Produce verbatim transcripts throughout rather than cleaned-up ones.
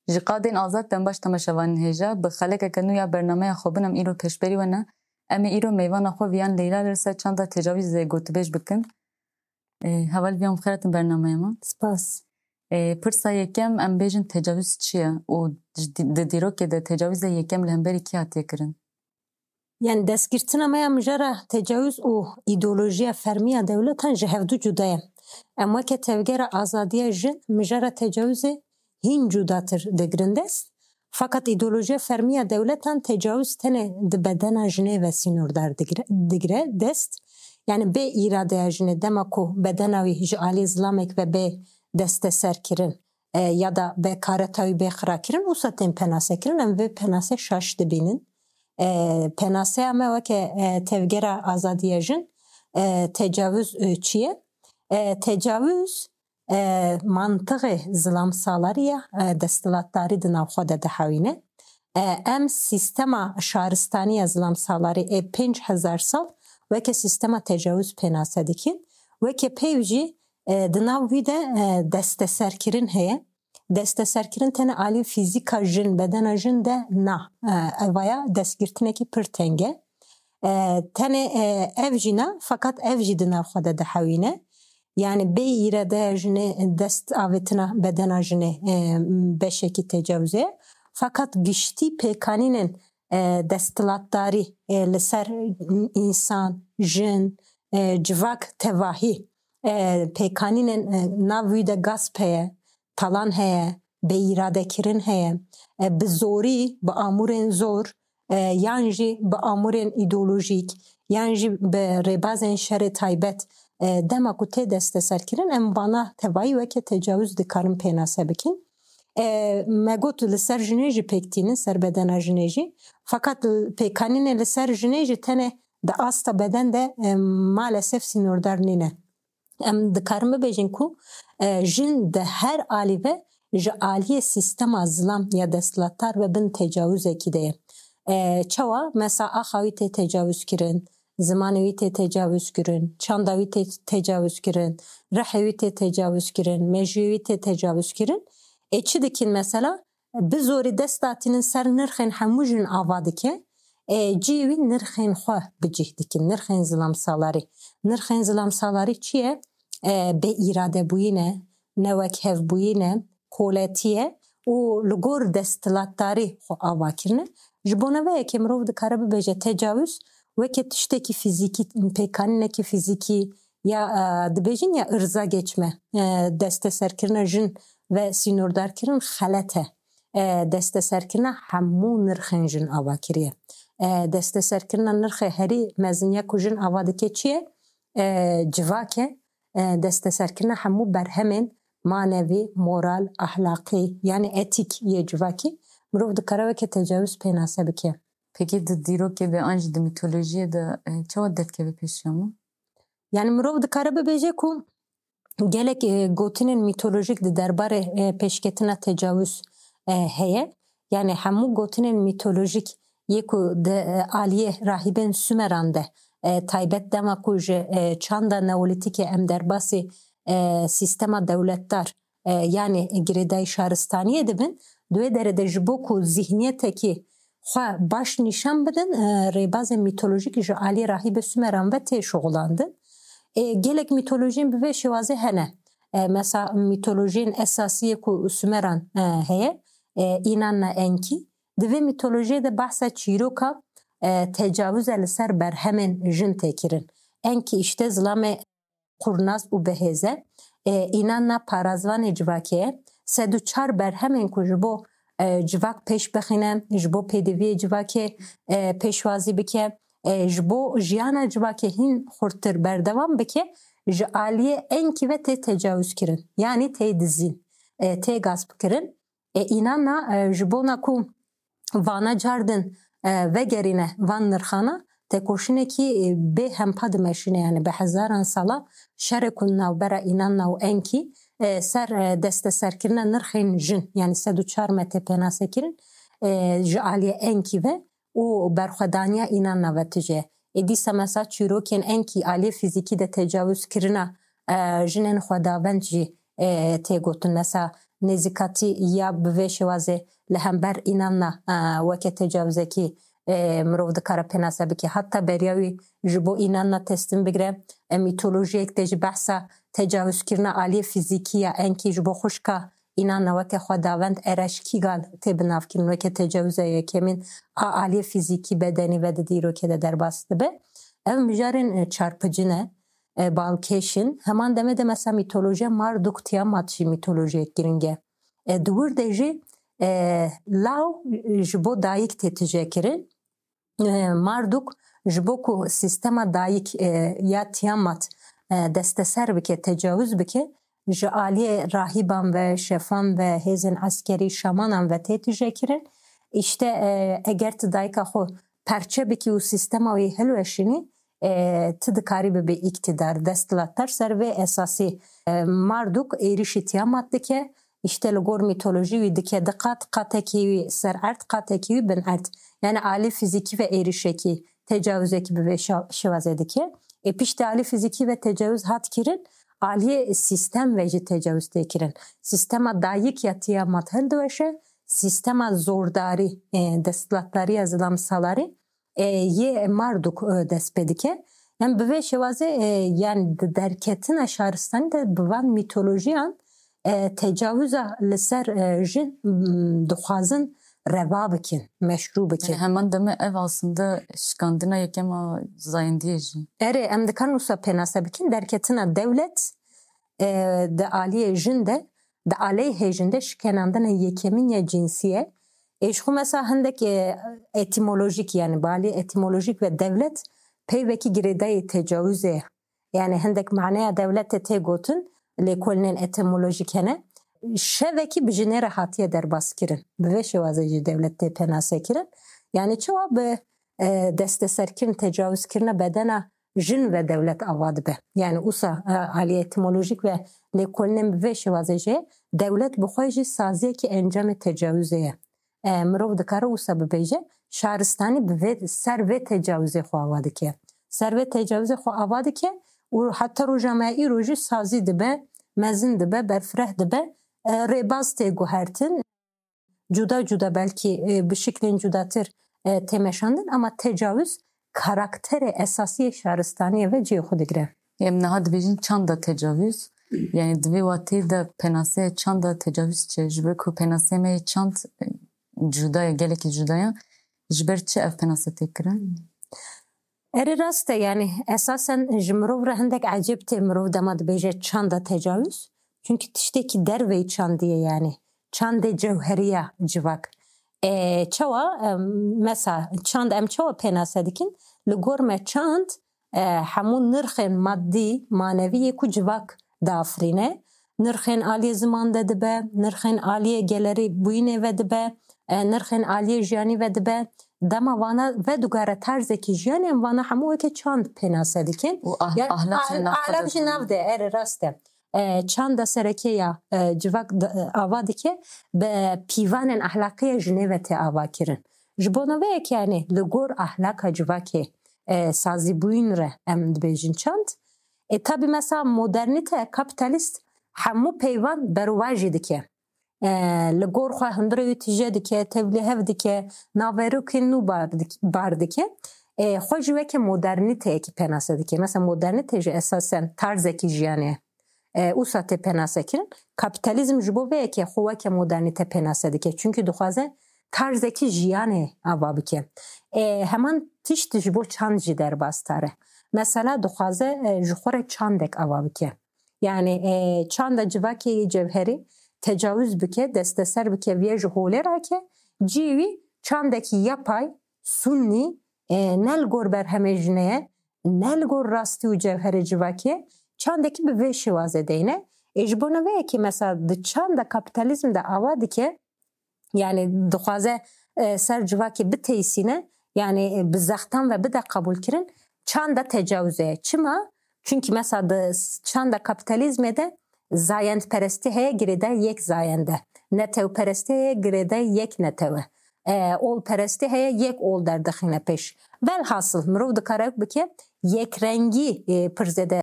Ji qadên azad dem baş temaşevanên hêja, bi xelekeke nû ya bernameya xwe bin em îro pêşberî we ne. Em ê îro mêvana xwe viyan Leyla li ser çanda tecawîzê gotibêj bikin. Ê, heval viyan bi xêr hatin bernameya me. Spas. Ê, pirsa yekem em bêjin tecawîz çi ye û ji di, di dîrokê de tecawîza yekem li hemberî kî hatiye kirin? Yani destgirtina me ya mijara tecawîz û îdeolojiya fermî ya dewletan ji hevdu cuda ye. Em weke tevgera azadiya jin mijara tecawîzê hîn cudatir digirin dest. Fakat îdeolojiya fermî ya dewletan tecawîz tenê di bedena jinê ve sînordar digire, digire dest. Yani bê îradeya jinê dema ku bedena wî ji alî zilamek ve bê desteserkirin, e, ya da be kareta wî bê xirakirin, wisa tên penasekirin. Em vê penase şaş dibînin. E, penaseya me weke, e, tevgera azadiya jin, e, tecawuz, e, çi ye? E, tecawuz, e, mantiqê zilam salarî ya, e, desthilatdarî di nav xwe de dihewîne. E, em sîstema şaristanî ya zilam salarî ê pênc hezar sal weke sîstema tecawuz pênase dikin. Weke peyv jî, e, di nav wî de, e, desteserkirin heye. Desteserkirin tenê alî fîzîka jin, bedena jin de na. E, evaya destgirtinekî pir teng e. E, tenê, e, ev jî na, fakat ev jî di nav xwe de dihewîne. Yani bê îradeya jinê dest avêtina bedena jinê, e, beşekî tecawizê ye. Fakat giştî pêkanînên, e, desthilatdarî, e, li ser însan, jin, e, civak tevahî, e, pêkanînên, e, nav wî de gasp heye, talan heye, bêîradekirin heye, e, bi zorî, bi amûrên zor, e, yan jî bi amûrên îdeolojîk, yan jî bi rêbazên şerê taybet, e, dema ku tê desteserkirin, em vana tevayî weke tecawuz dikarin pênase bikin. E, me got li ser jinê jî pêk tînin, ser bedena jinê jî. Fakat pêkanînê li ser jinê jî tenê di asta beden de, e, maalesef sînordar nîne. Em dikarin bibêjin ku, e, jin di her alî ve ji aliyê sîstema zilam ya desthilatdar ve bin tecawizekî de ye. E, çawa? Mesela axa wî tê tecawizkirin, zimanê wî tê tecawizkirin, çanda wî tê tecawizkirin, rihê wî tê tecawizkirin, mejiyê wî tê tecawizkirin. Ê çi dikin mesela? Bi zorî dest datînin ser nirxên hemû jin ava dike. E, cihê wî nirxên xwe bi cih dikin, nirxên zilam salarî. Nirxên zilam salarî çi ye? E, bêîradebûyîn e, newekhevbûyîn e, koletî ye û li gor desthilatdarî xwe ava kirine. Ji bona vê yekê mirov dikare bibêje tecawuz weke tiştekî fîzîkî, pêkanînekî fîzîkî ya, e, dibêjin ya irza geçme, e, desteserkirina jin ve sînordarkirin xelet e. E, desteserkirina hemû nirxên jin ava kiriye. E, desteserkirina nirxê herî mezin ya ku jin ava dike çi ye? E, civak e. E, desteserkirina hemû berhemên manevî, moral, ahlaqî, yani etîk yê civakî mirov dikare weke tecawuz pênase bike. Pekî di dîrokê de an jî di mîtolojiyê de, e, çawa derdikeve pêşiya me? Yani mirov dikare bibêje ku gelek, e, gotinên mîtolojîk di derbarê, e, pêşketina tecawuz, e, heye. Yani hemû gotinên mîtolojîk yê ku di, e, aliyê rahîbên Sumeran de, e, taybet dema ku ji, e, çanda neolîtîkê em derbasî, e, sîstema dewletdar, e, yani girêdayî şaristaniyê dibin, di wê derê de ji bo ku zihniyetekî xwe baş nîşan bidin, e, rêbazên mîtolojîk ji aliyê rahîbê Sumeran ve tê şixulandin. E, gelek mîtolojiyên bi vê şêwazê hene. E, mesela mîtolojiyên esasiyê ku Sumeran, e, heye, e, Inanna Enki. Di vê mîtolojiyê de behsa çîroka, e, tecawuze li ser berhemên jin tê kirin. Enki îşte zilamê qurnaz û bihêz e. E, Inanna parazvanê civakê ye. Sed û çar berhemên ku ji bo, e, civak pêş bixîne, ji bo pêdiviyê civakê, e, pêşwazî bike, e, ji bo jiyana civakê hîn xurttir berdewam bike, ji aliyê Enkî ve tê tecawuz kirin. Yanî tê dizîn, e, tê gasp kirin. E, Înanna, e, ji bona ku vana cardin, e, vegerîne van nirxana, tekoşînekî, e, bê hempa dimeşîne, yani bi hezaran sala şerê ku navbera Înanna û Enkî, e, ser, e, desteserkirina nirxên jin, yani sed û çar me tê pênasekirin, e, ji aliyê Enkî ve û berxwedaniya Înanna ve tije. Ê dîsa mesela çîrokên Enkî aliyê fîzîkî de tecawuz kirina, e, jinên xwedavend jî e, tê gotin. Mesela nêzîkatî ya bi vê şêwazê li hember înanna, e, weke tecawizekî, e, mirov dikare pênase bike. Heta beriya wî ji bo înanna teslim bigire. E, mîtolojiyek de jî behsa tecawizkirina aliyê fîzîkî ya enkî ji bo xwişka înanna weke xwedawend Ereş Kîgal tê binavkirin weke tecawiza yekemîn a aliyê fîzîkî bedenî ve di dîrokê de derbas dibe. Ev mijarên, e, çarpicî ne, e, balkêş in. Heman demê de mesela mîtolojiya Marduk Tiamat jî mîtolojiyek giring e. E, di wir de jî, e, law ji bo dayik tê tije kirin. E, Marduk ji bo ku sîstema dayik, e, ya Tiamat, e, desteser bike, tecawiz bike, ji aliyê rahîban ve, şefan ve, hêzên eskerî, şamanan ve tê tije kirin. Îşte, e, eger tu dayika xwe perçe bikî û sîstema wî hilweşînî, e, tu dikarî bibî îktidar, desthilatdar. Ser vê esasî, e, Marduk êrîşî Tiamat dike. Îşte li gor mîtolojî wî dike di qat, qatekî wî ser erd, qatekî wî bin erd. Yani alî fîzîkî ve êrîşekî, tecawizekî bi vê şa-, şêwazê dike. Ê piştî alî fîzîkî ve tecawiz hat kirin, aliyê sîstem ve jî tecawiz tê kirin. Sîstema dayik ya Tiamat hildiweşe, sîstema zordarî, e, desthilatdariya zilam salarî, e, yê Marduk, e, dest pê dike. Em bi vê şêwazê, e, yani di derketina şaristanî de bi van mîtolojiyan, e, tecawiza li ser, e, jin, m, dixwazin reva bikin, meşrû bikin. Yani heman demê ev aslında şikandina yekem a zayendiyê jî. Erê, em dikarin wisa pênase bikin, derketina dewlet, e, di aliyê jin de, di aleyhê jin de şikenandina yekemîn ya cinsî ye. Ê ji xwe mesela hindek, e, etîmolojîk, yani bi aliyê etîmolojîk ve dewlet peyvekî girêdayî tecawizê ye. Yani hindek maneya dewletê tê gotin, lêkolînên etîmolojîk hene. Şevekî bi jinê re hatiye derbas kirin. Bi vê şêwazê jî dewlet tê pênase kirin. Yani çawa bi, e, desteserkirin, tecawizkirina bedena jin ve dewlet ava dibe. Yani usa, e, alî etîmolojîk ve lêkolînên bi vê şêwazê jî dewlet bi xwe jî saziyekî encamê tecawizê ye. E, mirov dikare wisa bibêje, şaristanî bi vê, ser vê tecawizê xwe ava dike. Ser vê tecawizê xwe ava dike û heta roja me îro jî sazî dibe, mezin dibe, berfireh dibe, e, rêbaz tê guhertin. Cuda cuda belkî, e, bi şiklên cudatir, e, tê meşandin, ama tecawiz karakterê esasî yê şaristaniyê ve cihê xwe digire. Em niha dibêjin çanda tecawiz. Yani di vê watê de pênaseyê çanda tecawiz çi? Ji ber ku pênaseyê me yê çand, e, cuda ye, gelekî cuda ye. Ji ber çi ev pênase tê kirin? Erê rast e, yani esasen ji mirov re hindek ecêb tê mirov dema dibêje çanda tecawiz. Çünkü tiştekî derveyî çandî ye yani. Çandê cewheriya civak. E, çawa, e, mesela çand em çawa pênase dikin? Li gor me çand, e, hemû nirxên maddî, manevî yê ku civak diafirîne. Nirxên aliyê ziman de dibe, nirxên aliyê gelerî bûyînê ve dibe, e, nirxên aliyê jiyanî ve dibe. Dema vana vedugare tarzekî jiyanê, em vana hemû weke çand pênase dikin. Û ah-, Ya, ahlak jî ah-, nav xwe ahlak de jî dibe. Nav de, erê rast e. E, çanda sereke ya, e, civak di-, e, ava dike, bi pîvanên ahlaqî ya jinê ve tê ava kirin. Ji bona vê yekê, yani, li gor ahlaka civakê, e, sazîbûyîn re em dibêjin çand. E, tabî mesela modernîte, kapîtalîst hemû peyvan berovajî dike. E, li gor xwe hundirê wî tije dike, tevlî hev dike, naverokên nû bar dik-, bar dike. E, xwe jî weke modernîteyekî pênase dike. Mesela modernîte jî esasen tarzekî jiyanê ye. E, usa tê pênase kirin. Kapîtalîzm ji bo vê yekê xwe weke modernîte pênase dike. Çunkî dixwaze tarzekî jiyanê ava bike. E, heman tişt ji bo çand jî derbas dikare. Mesela dixwaze, e, ji xwe re çandek ava bike. Yani, e, çanda civakê yê cewherî tecawiz bike, desteser bike, viya ji holê rake, cihê wî çandekî yapay, sunnî, e, ne li gor berhemê jinê ye, ne li gor rastî û cewherê civakê, çandekî bi vê şêwazê deyne. Ê, ji bona vê yekê mesela di çanda kapîtalîzm de ava dike, yani dixwaze, e, ser civakê biteysîne, yani, e, bi zextan ve bide qebûlkirin, çanda tecawizê ye. Çima? Çunkî mesela di s-, çanda kapîtalîzmê de zayendperestî heye, girêdayî yek zayend e. Netewperestî heye, girêdayî yek netew e. E, olperestî heye, yek ol derdixîne pêş. Velhasil, mirov dikare bike, yekrengî, e, pir zêde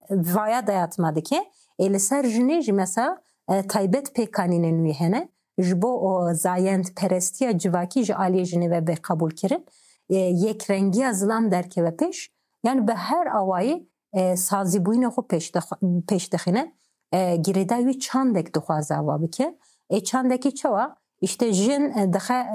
vaya dayatma dike. Ê li ser jinê jî mesela e, taybet pêkanînên wî hene. Ji bo o zayendperestiya civakî ji aliyê jinê ve bê qebûl kirin. E, yekrengiya zilam derkeve pêş. Yani bi her awayî e, sazîbûyînê xwe pêş dix-, pêş dixîne. E, girêdayî wî çandek dixwaze ava bike. Ê çandekî çawa? Îşte jin e, dixe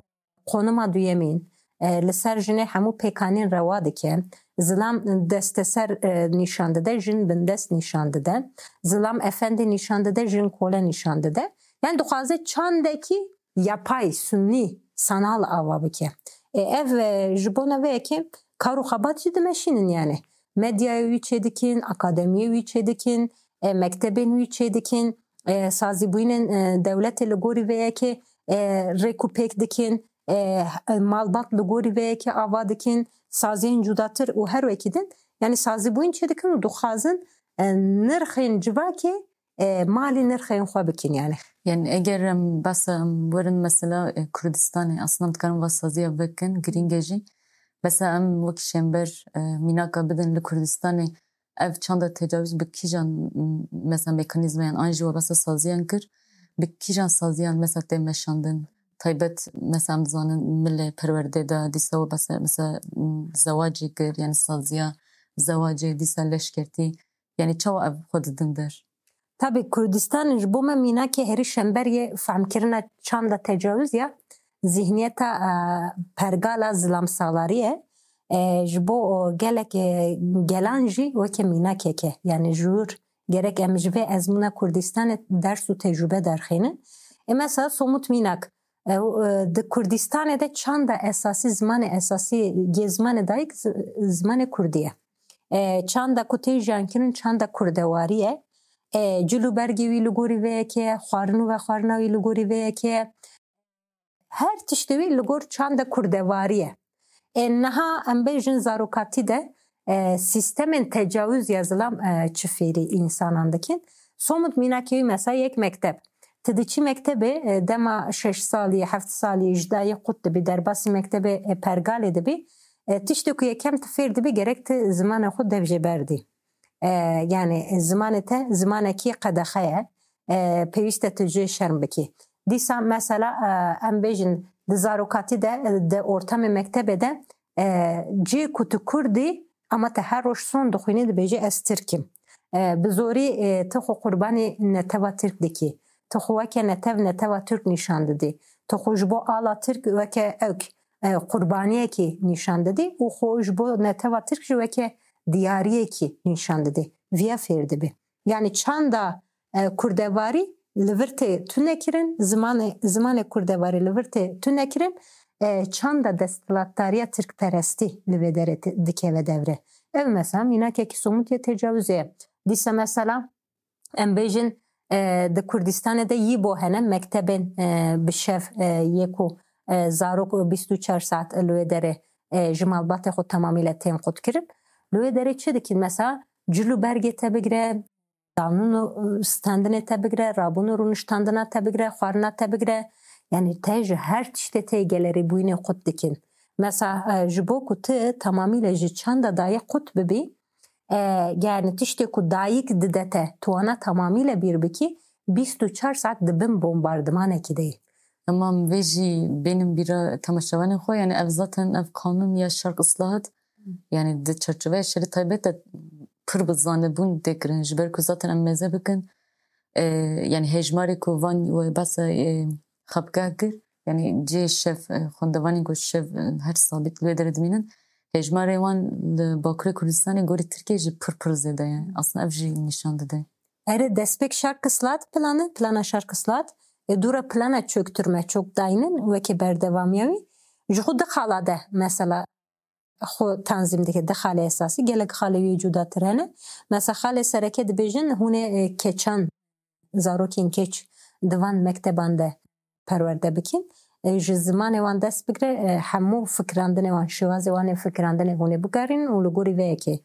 qonima duyemîn. E, li ser jinê hemû pêkanîn rewa dike. Zilam desteser e, nîşan dide, jin bindest nîşan dide. Zilam efendî nîşan dide, jin kole nîşan dide. Yani dixwaze çandekî yapay, sunî, sanal ava bike. E, ev e, ji bona vê yekê kar û xebat jî dimeşînin yani. Medyayê wî çêdikin, akademiyê wî çêdikin, e, mektebên wî çêdikin, e, sazîbûyînên e, dewletê li gorî vê yekê e, rêk û pêk dikin, e, malbat li gorî vê yekê ava dikin, saziyên cudatir û her wekî din. Yani sazîbûyîn çêdikin û dixwazin e, nirxên civakê e, malî nirxên xwe bikin yani. Yani eger em behsa em werin mesela e, Kurdistanê, aslında em dikarin va saziya vekin, girîng e jî. Mesela em wek şember e, mînaka bidin li Kurdistanê ev çanda tecawîz bi kîjan m-, mesela mekanîzmayan an jî we behsa saziyan kir, bi kîjan saziyan mesela tê meşandin? Taybet mesela em dizanin milê perwerdê de dîsa we behsa mesela m-, zewacê kir, yani saziya zewacê dîsa leşkertî. Yani çawa ev xwe didin der? Tabi Kurdistan ji bo me mînakê herî şember yê fehmkirina çanda tecawizê ya, zihniyeta e, pergala zilamsalarî ye. E, ji bo o gelek e, gelan jî weke mînakeke, yani ji wir gerek em ji vê ezmûna Kurdistanê ders û tecrûbe derxînin. E, mesela somut mînak, e, e, di Kurdistanê de çanda esasî, zimanê esasî yê zimanê dayik zi-, zimanê kurdî ye. E, çanda ku tê jiyankirin çanda kurdewarî ye. E, cil û bergê wî li gorî vê yekê ye, xwarin û vexwarina wî li gorî vê yekê ye. Her tiştê wî li gor çanda kurdewarî ye. E, niha em bêjin zarokatî de e, sîstemên tecawuz ya zilam e, çi fêrî însanan dikin. Somut mînakê wî mesela yek mekteb. Tu diçî mektebê e, dema şeş salî, heft salî ji dayê qut dibî, derbasî mektebê e, pergalê dibî. E, tiştê ku yekem tu fêr dibî gerek tu zimanê xwe dev jê berdî. E, yani zimanê te zimanekî qedexe ye. E, pêwîst e tu jê şerm bikî. Dîsa mesela e, em bêjin di zarokatî de, e, di ortamê mektebê de e, cê ku tu kurdî ama te her roj son dixwînî dibêjî ez tirk im. E, bi zorî e, tu xwe qurbanî neteva tirk dikî. Tu xwe weke netev neteva tirk nîşan didî. Tu xwe ji bo ala tirk weke ewk e, qurbaniyekî nîşan didî û xwe ji bo neteva tirk jî weke diyariyekî nîşan didî. Viya fêr dibî. Yani çanda e, kurdevarî li vir tê tune kirin, zimanê, zimanê kurdevarî li vir tê tune kirin, e, çanda desthilatdariya tirkperestî li vê derê ti-, dikeve devre. Ev mesela mînakekî somût yê tecawizê ye. Dîsa mesela em bêjin e, di Kurdistanê de yî bo hene mektebên e, bi şev e, yê ku e, zarok bîst û çar saet li wê derê e, ji malbatê xwe temamî le tên qut kirin. Li wê derê çi dikin? Mesela cil û bergê te bigire, danûn û standinê te bigire, rabûn û rûniştandina te bigire, xwarina te bigire. Yani te ji her tiştê tê gelerîbûyînê qut dikin. Mesela e, ji bo ku tu tamamîle ji çanda dayê qut bibî, e, yani tiştê ku dayik dide te, tu wana tamamîle bîr bikî, bîst û çar saet di bin bombardimanekî de yî. Tamam, vê jî bênim bîra temaşevanên xwe, yani ev zaten ev kanûn ya Şerq Islahat, yani di çerçeveya şerê taybet de pir bi zanebûn tê kirin, ji ber ku zaten em mêze bikin, e, yani hejmarê ku van we behsa, e, xapgeh kir, yani cê şev, e, xwendevanên ku şev, e, her sabît li wê derê dimînin, hejmarê wan li Bakurê Kurdistanê gorî Tirkiyê jî pir pir zêde ye. Aslında ev jî nîşan dide. Erê, destpêk Şarkislat plan e, plana Şarkislat. E, dûra plana çöktürme, çökdayînin weke berdewamiya wî. Ji xwe di xala de mesela xwe tanzîm dike, di xalê esasî, gelek xalê wî cudatir hene. Mesela xalê sereke dibêjin, hûn ê, e, keçan, zarokên keç di van mekteban de perwerde bikin. E, ji zimanê wan dest bigire, e, hemû fikirandinê wan, şêwazê wan ê fikirandinê hûn ê bigerînin û li gorî vê yekê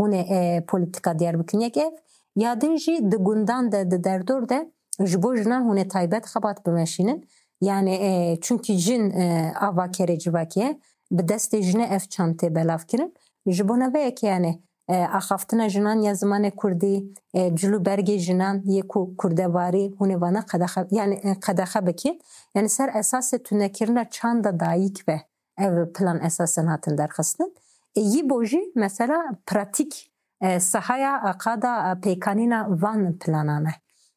hûn ê, e, polîtîka diyar bikin. Yek ev, ya din jî di gundan de, di derdor de ji bo jinan hûn ê taybet xebat bimeşînin. Yani, e, çunkî jin, e, avakerê civakê ye, bi destê jinê ev çand tê belav kirin. Ji bona vê yekê yani e, axaftina jinan ya zimanê kurdî, e, cil û bergê jinan yê ku kurdewarî hûn ê vana qedexe, yani, e, qedexe bikîn. Yani ser esasê tunekirina çanda dayik ve ev plan esasen hatin derxistin. E, yî bo jî mesela pratîk, e, sahaya, e, qada, e, pêkanîna van planan e.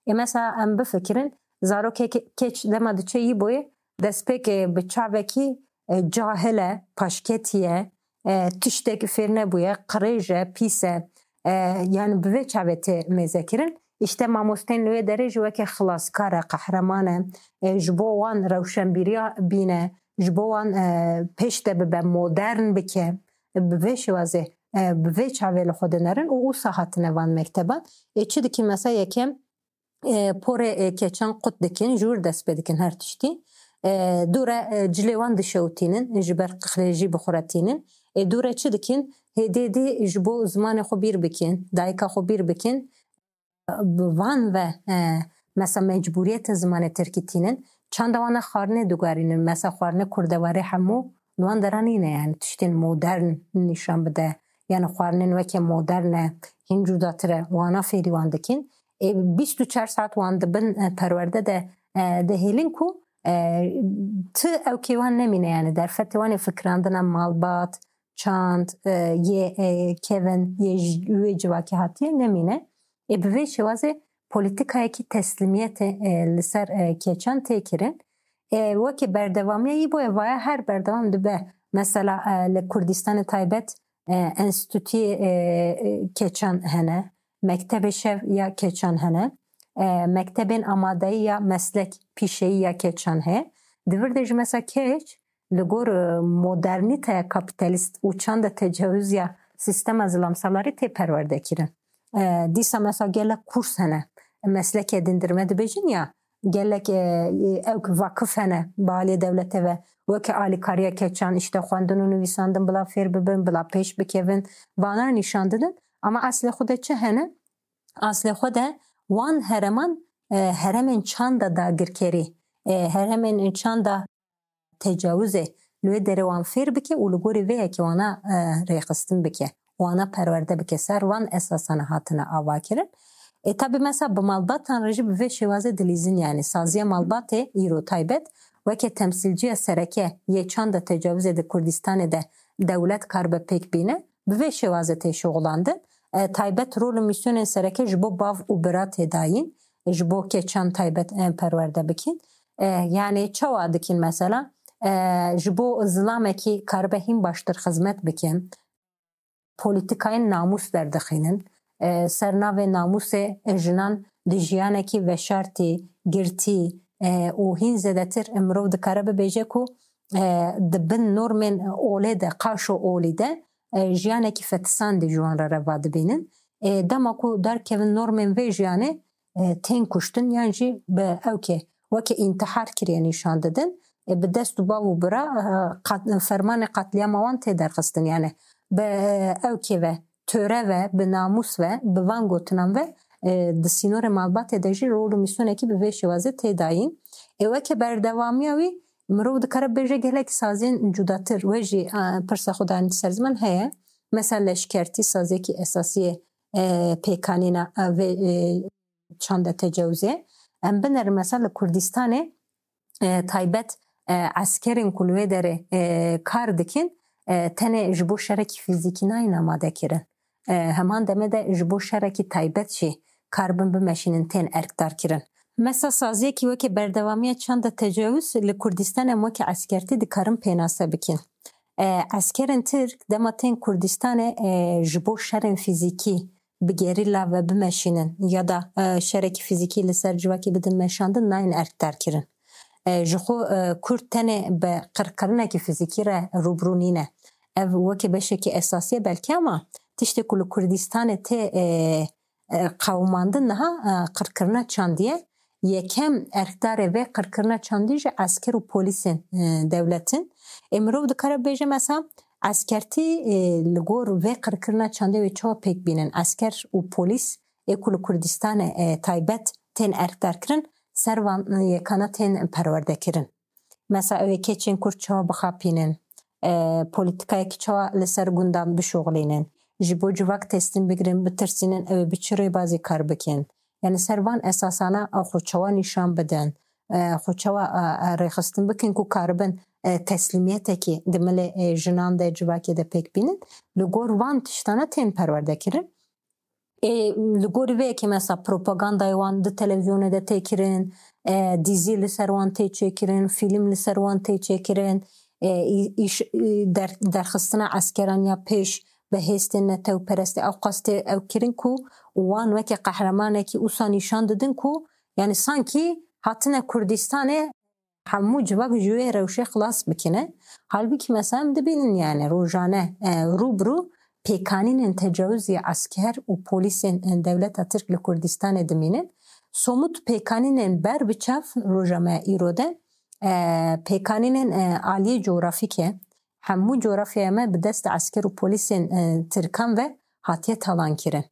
E, mesela em bifikirin, zarokê ke-, keç dema diçe yî boyê destpêkê bi çavekî, e, cahil e, paşketî ye, e, tiştek fêr nebûye, qirêj e, pîs e, e, yani bi vê çavê tê mêzekirin. Îşte mamostên li wê derê jî weke xilaskar e, qehreman e, e, ji bo wan rewşenbîriya bîne, ji bo wan, e, pêş de bibe, modern bike, bi vê şêwazê, e, bi vê çavê li xwe dinerin û wisa hatine van mekteban. Ê çi dikî mesela yekem, e, porê, e, keçan qut dikin, ji wir dest pê dikin her tiştî. E, dûre, e, cilê wan dişewtînin, ji ber qixlê jî bi xwe re tînin. E, dûre çi dikin? Hêdî hêdî ji bo zimanê xwe bîr bikin, dayika xwe bîr bikin. Bi van ve, e, mesela mecbûriyete zimanê tirkî tînin. Çanda wana xwarinê digarînin. Mesela xwarinê kurdewarê hemû li wan dera nîne, yani tiştên modern nîşan bide. Yani xwarinên weke modern e, hîn cudatir e, wana fêrî wan dikin. Ê, bîst û çar saet wan di bin, e, perwerde de, e, dihêlin ku, e, ti ewkê wan nemîne, yani derfetê wan ê fikirandina malbat, çand, e, yê, e, kevin, yê ji wê civakê hatiye nemîne. Ê, bi vê şêwazê polîtikayekî teslîmiyetê, e, li ser, e, keçan tê kirin. E, weke berdewamiya yî boye vaya her berdewam dibe. Mesela, e, li Kurdistanê taybet, e, enstîtuyê, e, e, keçan hene, mektebê şev ya keçan hene, e, mektebên amadeyî ya meslek pîşeyî ya keçan heye. Di vir de jî mesela keç li gor, e, modernîteya kapîtalîst û çanda tecawizya sîstema zilamsalarî tê perwerdekirin. E, dîsa mesela gelek kurs hene, mesleke dindirme dibêjin ya, gelek, e, ew vakif hene bi aliyê dewletê ve, weke alîkariya keçan, işte xwendin û nivîsandin bila fêr bibin, bila pêş bikevin, vana nîşan didin. Ama eslê xwe de çi hene? Eslê xwe de wan hereman, e, heremên çanda dagirkerî, e, heremên çanda tecawizê li wê derê wan fêr bike û li gorî vê yekê wana, e, rêxistin bike, wana perwerde bike, ser van esasana hatine avakirin. E, tabî mesela bi malbatan re jî bi vê şêwazê dilîzin, yani saziya malbatê îro taybet weke temsîlciya sereke yê çanda tecawizê di Kurdistanê de dewlet karibe pêk bîne, bi vê şêwazê tê şixulandin. E, taybet rol û mîsyonên sereke ji bo bav û bira tê dayîn, ji bo keçan taybet em perwerde bikin. E, yani çawa dikin mesela? E, ji bo zilamekî karibe hîn baştir xizmet bikin. Polîtikayên namûs derdixînin. E, ser navê namûsê jinan di jiyanekî veşartî, girtî, e, û hîn zêdetir mirov dikare bibêje ku, e, di bin normên olê de, qaşo olî de, e, jiyanekî fetisandî ji wan re reva dibînin. E, dema ku derkevin normên vê jiyanê, e, tên kuştin yan jî bi ewkê weke întihar kiriye nîşan didin. E, bi dest û bav û bira, e, qat-, fermanê qatliyama wan tê derxistin. Yani bi, e, ewkê ve, töre ve, bi namûs ve, bi van gotinan ve, e, di sînorê malbatê de jî rol û mîsyonekî bi vê şêwazê tê dayîn. E, weke berdewamiya wî mirov dikare bêje gelek sazên cudatir. We jî, e, pirsa xwe danî ser ziman heye. Mesela leşkertî saziyekî esasî ye, e, pêkanîna, e, vê, e, çanda tecawizê. Em binerin mesela li Kurdistanê, e, taybet, e, eskerên ku li wê derê, e, kar dikin, e, tenê ji bo şerekî fîzîkî nayên amade kirin. E, heman demê de ji bo şerekî taybet jî karibin bimeşînin tên erkdar kirin. Mesela saziyekî weke berdewamiya çanda tecawiz li Kurdistanê em weke eskertî dikarin pênase bikin. E, eskerên Tirk dema tên Kurdistanê, e, ji bo şerên fîzîkî bi gerîla ve bimeşînin ya da, e, şerekî fîzîkî li ser civakê bidin meşandin, nayên erkdar kirin. E, ji xwe, e, Kurd tenê bi qirkirinekî fîzîkî re rûbirû nîne. Ev weke beşekî esasî ye belkî, ama tiştê ku li Kurdistanê tê, e, e, qewimandin niha, e, qirkirina çandî ye. Yekem erkdarê vê qirkirina çandî jî esker û polîsên, e, dewlet in. Ê mirov dikare bêje mesela eskertî, e, li gor vê qirkirina çandê wê çawa pêk bînin? Esker û polîs ê ku li Kurdistanê, e, taybet tên erkdar kirin, ser van, e, yekana tên perwerde kirin. Mesela ew ê keçên Kurd çawa bixapînin, e, polîtikayekî çawa li ser gundan bişuxulînin, ji bo civak teslîm bigirin, bitirsînin, ew ê bi çi rêbazî kar bikin? Yani ser van esasana ew xwe çawa nîşan bidin, e, xwe çawa, e, e, rêxistin bikin ku karibin, e, teslîmiyetekî di milê, e, jinan de, civakê de pêk bînin. Li gor van tiştana tên perwerde kirin. Ê, li gorî vê yekê mesela propagandayê wan di televîzyonê de tê kirin, e, dîzî li ser wan tê çêkirin, fîlm li ser wan tê çêkirin, e, î-, îş-, î-, der-, derxistina eskeran ya pêş bi hêstên netewperestê ew qas tê ew kirin ku wan weke qehremanekî wisa nîşan didin ku, yani sankî hatine Kurdistanê hemû civak ji wê rewşê xilas bikine. Halbûkî mesela em dibînin yani rojane, e, rû bi rû pêkanînên tecawizî esker û polîsên, e, dewleta Tirk li Kurdistanê dimînin. Somut pêkanînên ber bi çav roja me îro de, e, pêkanînên, e, aliyê cografîk e. Hemû cografyaya me bi dest esker û polîsên, e, Tirkan ve hatiye talan kirin.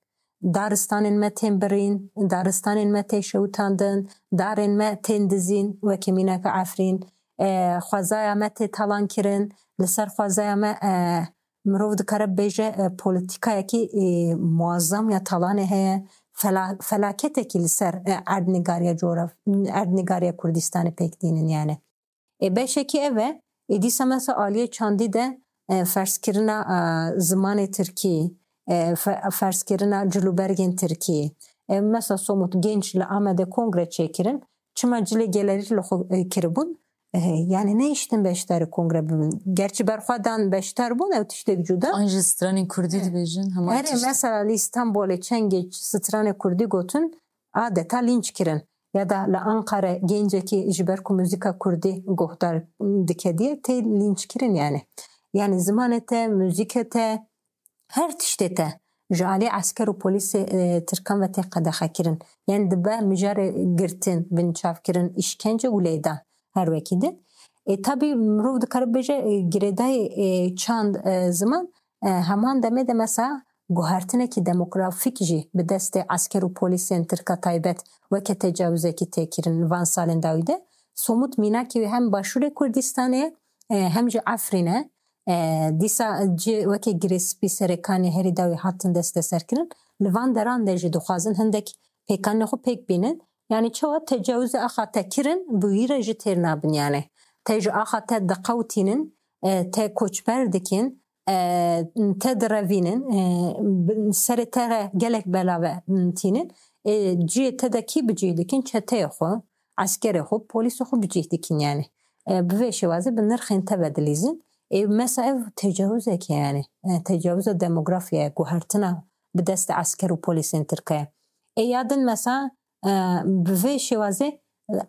Daristanên me tên birîn, daristanên me tê şewitandin, darên me tên dizîn, weke mînaka Efrîn. E, xwezaya me tê talan kirin, li ser xwezaya me, e, mirov dikare bêje, e, polîtîkayekî, e, muazzam ya talanê heye, fela-, felaketekî li ser, e, erdnîgariya cograf-, erdnîgariya Kurdistanê pêk dînin yani. Ê beşekî ev e, ê dîsa mesela aliyê çandî de, e, ferzkirina, e, zimanê tirkî, e, fe-, ferzkirina cilûbergên tirkî. E, mesela somut genç li Amedê kongre çêkirin, çima cilê gelerî li xwe, e, kiribûn? E, yani nehiştin beşdarî kongre bibin. Gerçi berxwe dan beşdar bûn, ew tiştek cuda. An jî stranên kurdî dibêjin, hema Erê, tişt. Mesela li Îstanbulê çend genç stranê kurdî gotin, adeta lînç kirin. Ya da li Ankara gencekî ji ber ku muzîka kurdî guhdar dike diye tê lînç kirin yani. Yani zimanê te, muzîkê te, her tiştê te ji alî esker û polîsê, e, tirkan ve tê qedexe kirin. Yani dibe mijarê girtin, binçavkirin, îşkence û lêdan her wekî din. E, tabî mirov dikare bêje, e, girêdayî, e, çand, e, ziman, e, heman demê de mesela guhertinekî demografîk jî bi destê esker û polîsên tirka taybet weke tecawizekî tê kirin li van salên dawî de. Somut mînakê wî hem Başûrê Kurdistanê, e, hem jî Efrîn e. E, dîsa cî weke girêspî serekanê herî dawî hatin desteserkirin. Li van deran de jî dixwazin hindek pêkanê xwe pêk bînin. Yani çawa tecawize axa te kirin, bi wî re jî têr nabin yani. Te ji axa te diqewtînin, e, te koçber dikin, e, te direvînin, e, bi-, serê te re gelek bela ve tînin. E, cihê te de kî bi cih dikin? Çeteyê xwe, eskerê xwe, polîsê xwe bi cih dikin yani. E, bi vê şêwazê bi nirxên te ve dilîzin. E, mesela ev tecawizek e yani. E, tecawiza demografya ye, guhertina bi destê esker û polîsên tirke ye. E, ya din mesela, e, bi vê şêwazê, e,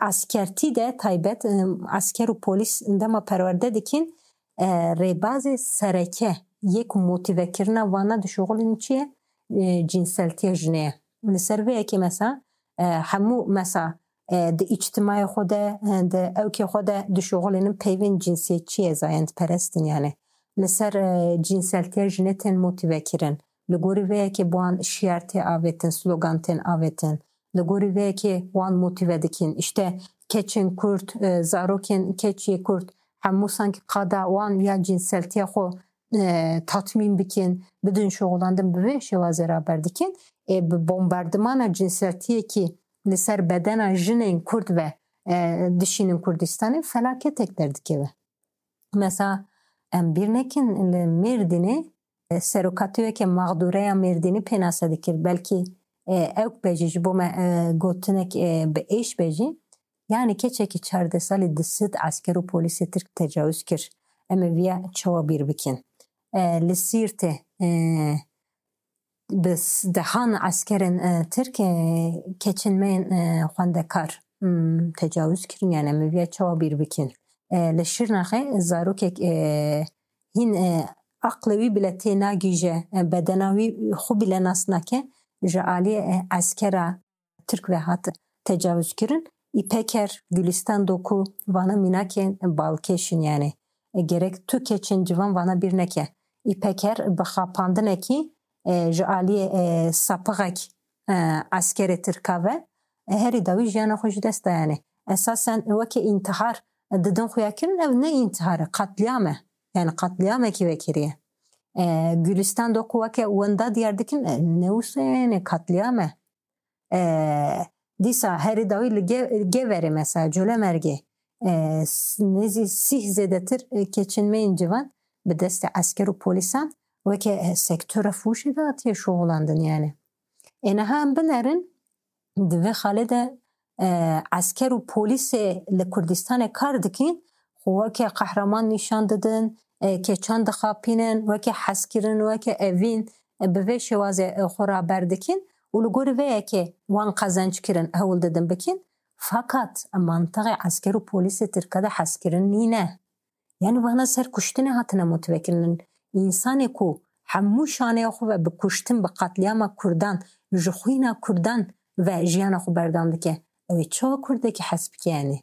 eskertî de taybet, e, esker û polîs dema perwerde dikin, e, rêbazê sereke yê ku motîvekirina vana dişuxulînin çi ye? E, cinseltiya jinê ye. Li ser vê yekê mesela, e, hemû mesela, e, di îctimayê xwe de, e, di ewkê xwe de dişuxulînin peyvên cinsiyetçî ye, zayendperest in yani. Li ser, e, cinseltiya jinê tên motîvekirin. Li gorî vê yekê bi wan şiyar tê avêtin, slogan tên avêtin. Li gorî vê yekê wan motîve dikin. Îşte keçên kurd, e, zarokên keç yê kurd, hemû sankî qada wan ya cinseltiya xwe, e, tatmîn bikin, bidin şixulandin, bi vê şêwazê raber dikin. Ê bi bombardimana cinseltiyekî li ser bedena jinên kurd ve, e, dişînin Kurdistanê, felaketek derdikeve. Mesela em bîr nekin li Mêrdînê, e, serokatî weke mexdûreya Mêrdînî pênase dikir. Belkî, e, ewk be jî ji bo me, e, gotinek, e, bi êş be jî. Yani keçekî çardeh salî di sed esker û polîsê Tirk tecawiz kir. Em ê viya çawa bîr bikin? E, li Sîrtê, e, bi s-, dehan eskerên, e, Tirk, e, keçên me yên, e, xwendekar, hmm, tecawiz kirin, yani em ê viya çawa bîr bikin? E, li Şirnexê zarokek, e, hîn, e, aqlê wî bile tê nagihîje, e, bedena wî xwe bile nas nake, ji alî, e, eskera Tirk ve hat tecawiz kirin. Îpeker, Gülistan Doku, vana mînakên balkêş in yani. E, gerek tu keçên ciwan vana bîr neke. Îpeker bi xapandinekî, e, ji aliyê, e, sapixek, e, eskerê Tirka ve, e, herî dawî jiyana xwe ji dest da yani. Esasen weke întihar, e, didin xuya kirin, ev ne întihar e, qetlîam e. Yani qetlîamekî vekiriye. E, Gülistan do ku weke wenda diyar dikin, e, ne wisa yani katliam e. E, dîsa herî dawî li Ge-, Geverê mesela, Colemêrgê, e, s-, nêzî sîh zêdetir, e, keçên me yên civan bi destê esker û polîsan weke, e, sektora fûşê de hatiye şoxlandin yani. Ê niha em binerin, di vê xalê de, e, esker û polîsê li Kurdistanê kar dikin, xwe weke qehreman nîşan didin, e, keçan dixapînin, weke hezkirin, weke evîn, e, bi vê şêwazê, e, xwe raber dikin û li gorî vê yekê wan qezenc kirin, hewl didin bikin. Fakat mantiqê esker û polîsê Tirka de hezkirin nîne. Yani vana ser kuştinê hatine motive kirinin. Însanê ku hemû şaneya xwe ve bi kuştin, bi qatliyama Kurdan, ji xwîna Kurdan ve jiyana xwe berdewam dike. Ew ê çawa Kurdekî hes bike yani?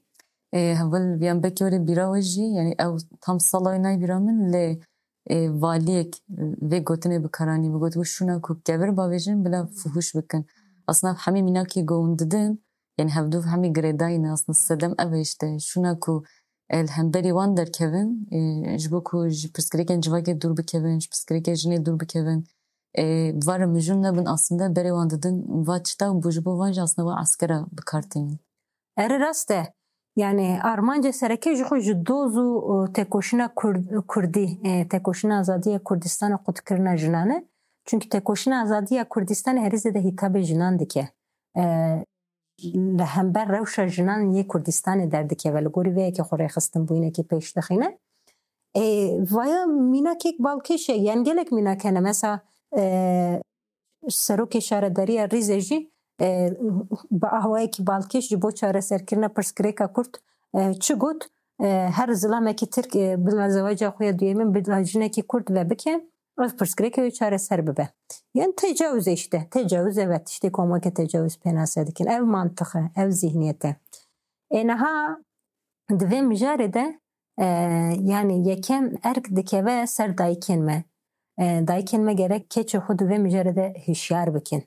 Ê, heval viyan belkî were bîra we jî, yani ew tam sala wê nayê bîra min, lê, ê, valiyek vê gotinê bi kar anî, bi got, "Şûna ku kevir bavêjin, bila fuhuş bikin." Aslında hemî mînakê ku hûn didin, yani hevdû hemî girêdayî ne, aslında sedem ev e işte. Şûna ku, e, li hemberî wan derkevin, e, ji bo ku ji pirsgirêkên civakê dûr bikevin, ji pirsgirêkê jinê dûr bikevin, e, va re mijûl nebin, aslında berê wan didin, va tişta bû ji bo van jî aslında va eskera bi kar tînin. Erê rast e. Yani armancê sereke ji xwe ji doz û, e, têkoşîna Kur-, Kurdî, e, têkoşîna azadiya Kurdistanê qutkirina jinan e. Çünkü têkoşîna azadiya Kurdistanê herî zêde hîtabê jinan dike. E, li hember rewşa jinan yê Kurdistanê derdikeve. Li gorî vê yekê xwe rêxistinbûyînekê pêş dixîne. Ê, vaya mînakek balkêş e, yan gelek mînak hene. Mesela, e, serokê şaredariya Rîzê jî, e, bi awayekî balkêş ji bo çareserkirina pirsgirêka Kurd, e, çi got? E, her zilamekî Tirk, e, bila zewaca xwe ya duyemîn bila jinekî Kurd ve bike. Ev pirsgirêkê wê çareser bibe. Yan tecawuz e işte. Tecawuz e ve tiştê ku em weke tecawuz pênase dikin. Ev mantiq e, ev zihniyet e. Ê niha di vê mijarê de, e, yani yekem erk dikeve ser dayikên me. E, dayikên me gerek keçê xwe di vê mijarê de hişyar bikin.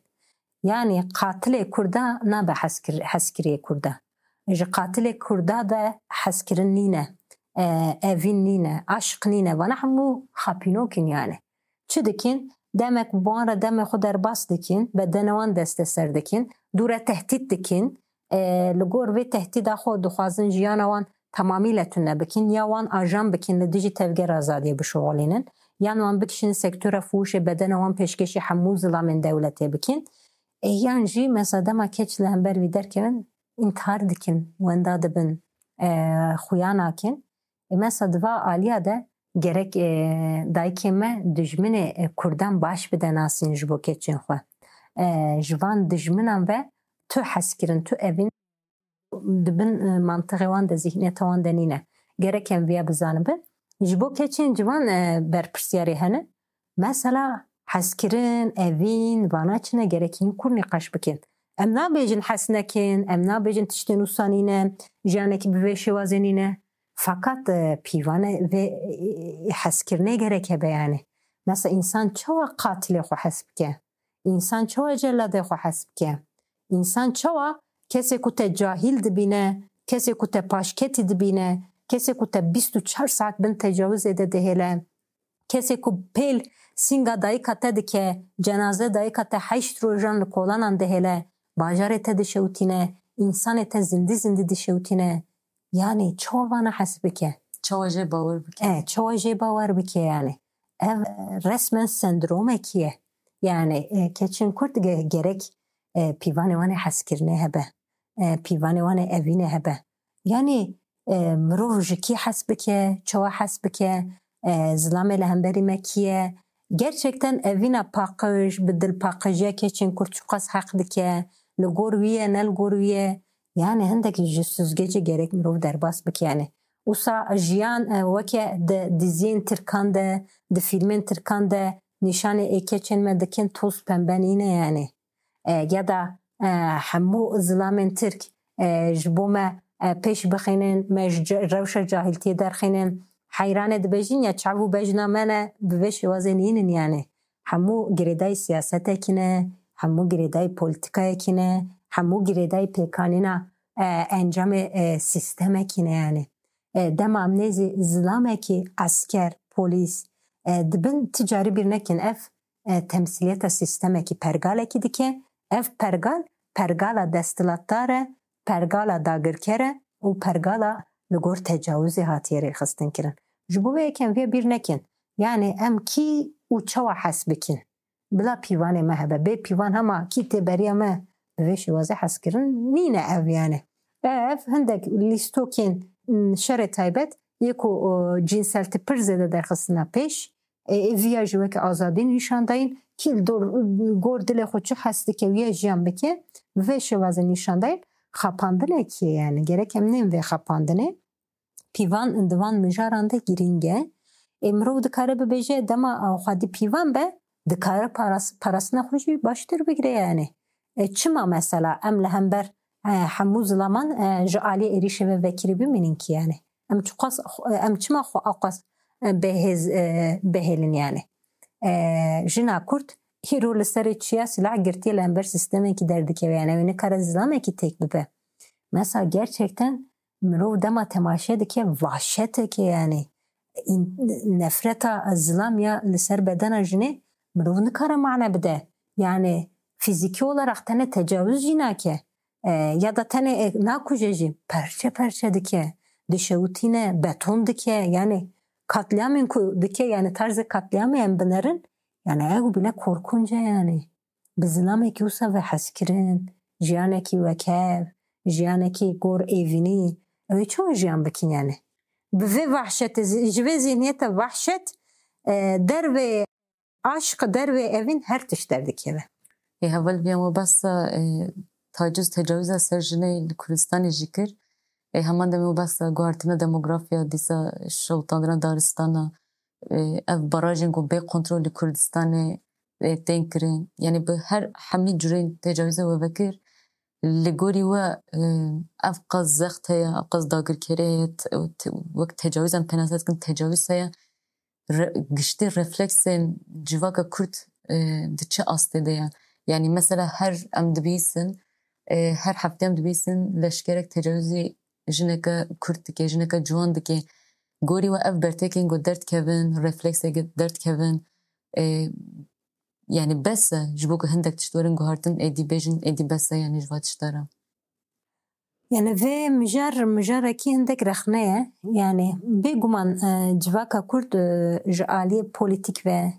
Yani qatilê Kurda nabe heskir-, heskiriyê Kurda. Ji qatilê Kurda de heskirin nîne, e, evîn nîne, aşq nîne. Vana hemû xapînok in yani. Çi dikin? Demek bi wan re demê xwe derbas dikin, bedenê wan desteser dikin, dû re tehdît dikin. E, li gor vê tehdîda xwe dixwazin jiyana wan temamî le tune bikin, ya wan ajan bikin li dijî Tevgera Azadiyê bişuxulînin, yan wan bikişînin sektora fuhuşê, bedena wan pêşkêşî hemû zilamên dewletê bikin. E, yan jî mesela dema keç li hember vî derkevin, întihar dikin, wenda dibin, e, xuya nakin. E, mesela di va aliya de gerek, e, dayikê me dijminê, e, Kurdan baş bide nasîn ji bo keçên xwe. E, ji van dijminan ve tu hezkirin, tu evîn di bin, e, mantiqê wan de, zihniyeta wan de nîne. Gerek em viya bizanibin. Ji bo keçên ciwan, e, berpirsiyarê hene. Mesela hezkirin, evîn, vana çi ne, gerek hîn kûr nîqaş bikin. Em nabêjin hes nekin, em nabêjin tiştên wisa nîne, jiyanekî bi vê şêwazê nîne. Fakat, e, pîvane vê, e, hezkirinê gerek hebe yani. Mesela însan çawa qatilê xwe hes bike? Însan çawa celadê xwe hes bike? Însan çawa kesê ku te cahîl dibîne, kesê ku te paşketî dibîne, kesê ku te bîst û çar saet bin tecawizê de dihêle, kesê ku pêl sînga dayika te dike, cenaze dayika te heşt rojan li kolanan dihêle, bajarê te dişewitîne, însanê te zindî zindî dişewitîne. Yani çawa vana hes bike? Çawa jê bawer bike? E, çawa jê bawer bike yani? Ev, e, resmen sendromekî ye. Yani, e, keçên Kurd ge-, gerek, e, pîvanê wan ê hezkirinê hebe. E, pîvanê wan ê evînê hebe. Yani, e, mirov ji kî hes bike, çawa hes bike, e, zilamê li hemberî me kî ye? Gerçekten evîna paqij, bi dilpaqijiya keçên Kurd çiqas heq dike? Li gor wî ye, ne li gor wî ye? Yani hindek ji süzgecê gerek mirov derbas bike yani. Wisa jiyan, e, weke di diziyên Tirkan de, di fîlmên Tirkan de nîşanê ê keçên me dikin, toz pembe nîne yani. E, ya da, e, hemû zilamên Tirk, e, ji bo me, e, pêş bixînin, me ji ce-, rewşa cahiltiyê derxînin. Heyranê dibêjin ya çav û bejna me ne, bi vê şêwazê nînin yani. Hemû girêdayî siyasetekî ne, hemû girêdayî polîtîkayekî ne, hemû girêdayî pêkanîna, e, encamê, e, sîstemekî ne yani. E, dema em nêzî zilamekî esker, polîs, E, dibin ti carî bîr nekin ev e, temsîliyeta sîstemekî pergalekî dike. Ev pergal, pergala desthilatdar e, pergala dagirker e û pergala li gor tecawizê hatiye rêxistin kirin. Ji bo vê yek em vê bîr nekin. Yanî em kî û çawa hes bikin? Bila pîvanê me hebe. Bê pîvan hema kî tê beriya me bi vê şêwazê hezkirin nîne ev yani. Ev hindek lîstokên, m, şerê taybet yê ku, o, cînseltî pir zêde derxistina pêş. Ê, ê viya jî weke azadî nîşan dayîn. Kî li dor, gor dilê xwe çi hes dike, wiya jiyan bike. Bi vê şêwazê nîşan dayîn. Xapandinekê yani. Gerek em nên vê xapandinê. Pîvan di van mijaran de girîng e. Ê, mirov dikare bibêje dema, e, xwedî pîvan be, dikare paras-, parastina xwe jî baştir bigire yani. E, çima mesela em li hember, e, hemû zilaman, e, ji aliyê êrîşê ve vekirî bimînin ki yani? Em çiqas, em çima xwe aqas, e, bêhêz, e, bihêlin yani? E, jina Kurd hîro li serê çiya silah girtiye li hember sîstemekî derdikeve yani. Ew nikare zilamekî têk bibe. Mesela gerçekten mirov dema temaşe dike, vahşeteke yani, în-, nefreta zilam ya li ser bedena jinê mirov nikare mane bide. Yani fizîkî olarak tenê tecawuz jî nake. E, ya da tenê, e, nakuje jî, perçe perçe dike, dişewitîne, beton dike, yani katliamên ku dike, yani tarzê katliamê em binerin, yani ew bile korkunc e yani. Bi zilamekî wisa ve hezkirin, jiyanekî wekev, jiyanekî gor êvînî, ew ê çawa jiyan bikin yani? Bi vê vahşetê, zi-, ji vê zihniyete vahşet, e, dervê aşq, dervê evîn her tişt derdikeve. Ê heval viya me behsa, e, taciz, tecawiza ser jinê li Kurdistanê jî kir. Ê heman demê me behsa guhartina demografiya, dîsa şewitandina daristana, e, ev barajên ku bê kontrol li Kurdistanê, e, tên kirin. Yani bi her hemî curên tecawizê we vekir, li gorî we, e, ev qas zext heye, ev qas dagirkerê heye, te-, te-, wek tecawiz em pênase dikin, tecawiz heye. Re-, giştî refleksên civaka Kurd, e, di çi astê de ye? Yani mesela her em dibîsin, e, her heftê em dibîsin leşkerek tecawizî jineke Kurd dike, jineke ciwan dike. Gorî we ev bertekên ku derdkevin, reflekseke derdkevin, e, yani bes e, ji bo ku hindek tişt werin guhartin, êdî bêjin, êdî bes e, yani ji va tişta re. Yani vê mijar, mijarekî hindek rexne ye. Yani bêguman, e, civaka Kurd, e, ji aliyê polîtîk ve,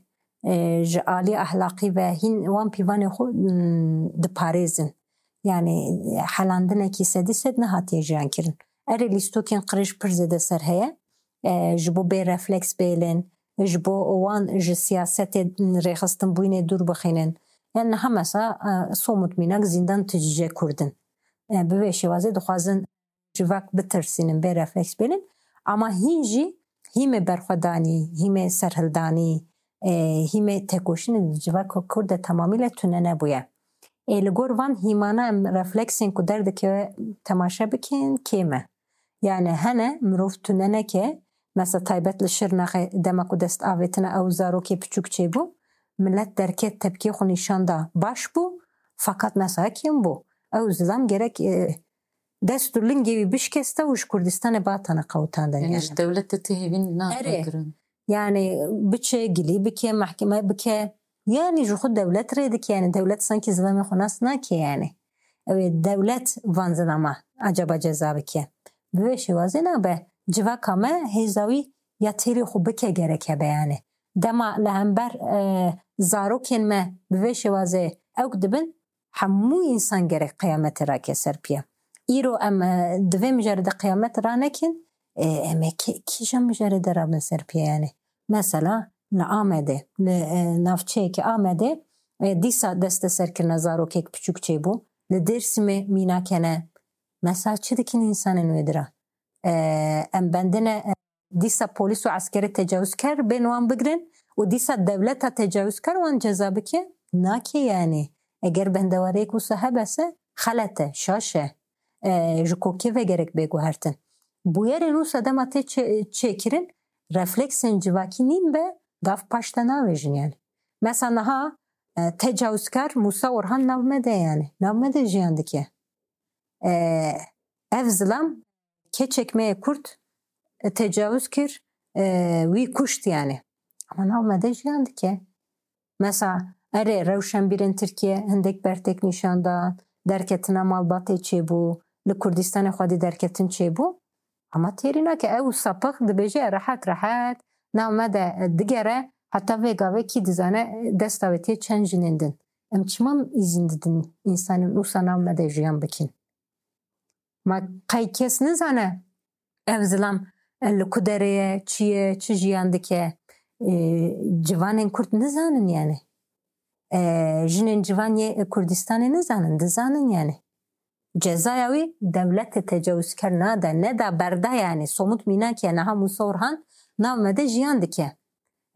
e, ji aliyê ahlaqî ve hîn wan pîvanê xwe, m, diparêzin. Yani helandinekî sedî sed nehatiye jiyan kirin. Erê lîstokên qirêj pir zêde ser heye. E, ji bo bê refleks bêlin, ji bo wan ji siyasetê rêxistinbûyînê dûr bixînin. Yani niha mesela, e, somut mînak zîndan tijî Kurd in. E, bi vê şêwazê dixwazin civak bitirsînin, bê refleks bêlin. Ama hîn jî hîmê berxwedanî, hîmê serhildanî, e, hîmê têkoşînê di civaka Kurd de temamî le tune nebûye. Ê li gor van hîmana em refleksên ku derdikeve temaşe bikin, kêm e. Yani hene mirov tune neke, mesela taybet li Şirnexê dema ku dest avêtine ew zarokê piçûk çêbû, milet derket tepkê xwe nîşan da baş bû, fakat mesela kêm bû. Ew zilam gerek, e, dest û lingê wî bişkeste û ji Kurdistanê batane qewitandin. Yani yani. Ji dewletê ti hêvîn nake Erê. Kirin. Yani biçe, gilî bike, mehkeme bike. Yani ji xwe dewlet rê dike. Yani dewlet sankî zilamê xwe nas nake yani. Ew ê dewlet van zilama acaba ceza bike. Bi vê şêwazê nabe. Civaka me hêza wî ya têrê xwe bike gerek hebe yani. Dema li hember, e, zarokên me bi vê şêwazê ewk dibin, hemû însan gerek qiyametê rake ser piya. Îro em, e, di vê mijarê de qiyamet ranekin, e, em ê kî-, kîjan mijarê de rabin ser piya yani? Mesela li Amedê, li, e, navçeyeke Amedê, e, dîsa desteserkirina zarokek piçûk çêbû. Li Dêrsimê mînakene. Mesela çi dikin însanên wê dira? E, em bendine, e, dîsa polîs û eskerê tecawizker bên wan bigirin û dîsa dewleta tecawizker wan ceza bike? Nake yani. Eger bendewariyek wisa hebese, xelet e, şaş e. E, ji kokê ve gerek bê guhertin. Bûyerên wisa dema tê çê-, çêkirin, refleksên civakî nîn be, gav paş de navêjin yani. Mesela niha, e, tecawizkar Musa Orhan nav me de yani. Nav me de jiyan dike. E, ev zilam keçek me yê Kurd, e, tecawuz kir, e, wî kuşt yani. Ama nav me de jiyan dike. Mesela, erê, rewşenbîrên Tirkiye hindek bertek nîşan dan, derketina malbatê çêbû, li Kurdistanê xwedî derketin çêbû. Ama têrî nake, ew sapix dibêje rehet rehet nav me de digere, heta vê gavê kî dizane desta wê tê çend jinên din. Em çima îzin didin însanên wisa nav me de jiyan bikin? Ma qey kes nizane ev zilam, e, li ku derê ye, çi ye, çi jiyan dike? E, civanên Kurd nizanin yani. E, jinên civan yê Kurdistanê nizanin, dizanin yani. Cezaya wî dewletê tecawizker nade, neda berda yani. Somut mînak e, niha Musa Orhan nav me de jiyan dike.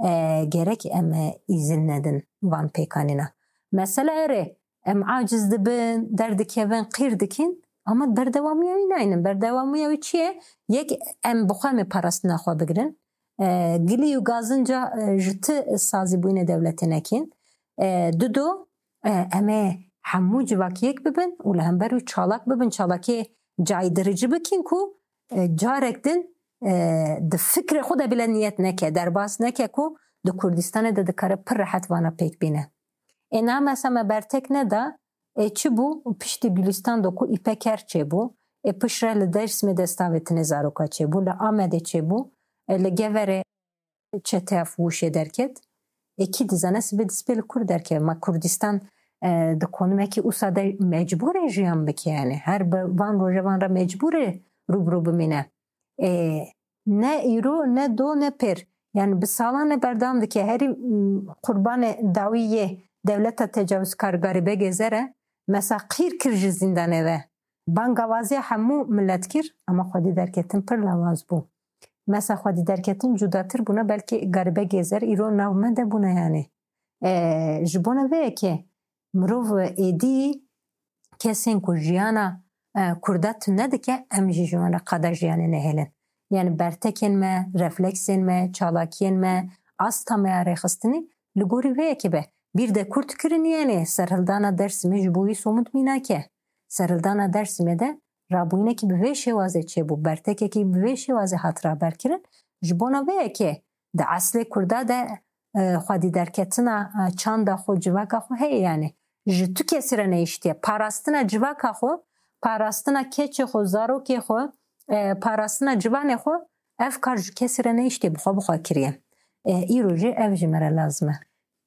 E, gerek em, e, îzin nedin van pêkanîna. Mesela erê, em aciz dibin, derdikevin, qîr dikin, ama berdewamiya wî naynin. Berdewamiya wî çi ye? Yek, em bi xwe em ê parastina xwe bigirin. E, gilî û gazinca, e, ji ti sazîbûyînê dewletê nekin. E, dido, e, em ê hemû civakî yek bibin û li hember wî çalak bibin, çalakê caydirici bikin ku, e, carek din, e, di fikrê xwe de bile niyet neke, derbas neke ku di Kurdistanê de dikare pir rehet vana pêk bîne. Ê niha mesela me bertek neda, ê çi bû? Piştî Gulistan de ku îpeker çêbû, ê piştre li Dêrsimê destavêtinê zaroka çêbû, li Amedê çêbû, ê li Geverê çeteya Fûşê derket. Ê kî dizane sibê destpê li kur derkeve. Ma Kurdistan, e, di konimekî usa de mecbûr e jiyan bike yani. Her bi van rojevan re mecbûr e rû bi rû bimîne. E, ne îro, ne do, ne pêr. Yani bi salan e berdewam dike. Herî, m, qurbanê dawî yê dewleta tecawizkar Garîbegê Zer e. Mesela qîr kir ji zîndanê ve. Bangavaziya hemû milet kir, ama xwedî derketin pir lawaz bû. Mesela xwedî derketin cudatir bûna, belkî Garîbegê Zer îro nav me de bûne yani. E, ji bona vê yekê mirov êdî kesên ku jiyana, e, Kurda tune dike, em jî ji wan re qada jiyanê nehêlin. Yani bertekên me, refleksên me, çalakiyên me, asta me ya rêxistinî li gorî vê yekê be. Bîr de Kurd kirin yani, serhildana Dêrsimê ji bo wî somut mînak e. Serhildana Dêrsimê de rabûyînekî bi vê şêwazê çêbû, bertekekî bi vê şêwazê hat raberkirin. Ji bona vê yekê di eslê Kurda de, e, xwedî derketina, e, çanda xwe, civaka xwe heye yani. Ji tu kesî re nehiştiye. Parastina civaka xwe, parastina keçê xwe, zarokê xwe, e, parastina civanê xwe, ev kar ji kesî re nehiştiye, bi xwe bi xwe kiriye. E, îro jî ev ji me re lazim e.